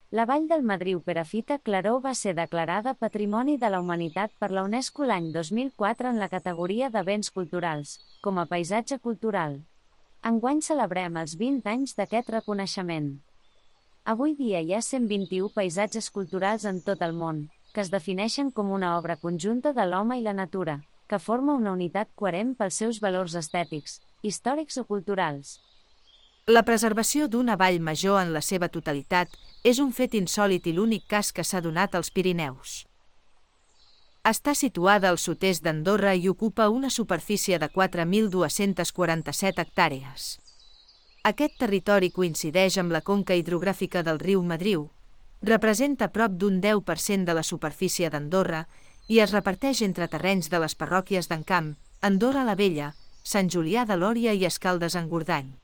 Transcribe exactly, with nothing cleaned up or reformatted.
La Vall del Madriu-Perafita-Claró va ser declarada Patrimoni de la Humanitat per la UNESCO l'any dos mil quatre en la categoria de béns culturals, com a paisatge cultural. Enguany celebrem els vint anys d'aquest reconeixement. Avui dia hi ha cent vint-i-u paisatges culturals en tot el món, que es defineixen com una obra conjunta de l'home i la natura, que forma una unitat coherent pels seus valors estètics, històrics o culturals. La preservació d'una vall major en la seva totalitat és un fet insòlit i l'únic cas que s'ha donat als Pirineus. Està situada al sud-est d'Andorra i ocupa una superfície de quatre mil dues-centes quaranta-set hectàrees. Aquest territori coincideix amb la conca hidrogràfica del riu Madriu, representa prop d'un deu per cent de la superfície d'Andorra i es reparteix entre terrenys de les parròquies d'Encamp, Andorra la Vella, Sant Julià de Lòria i Escaldes-Engordany.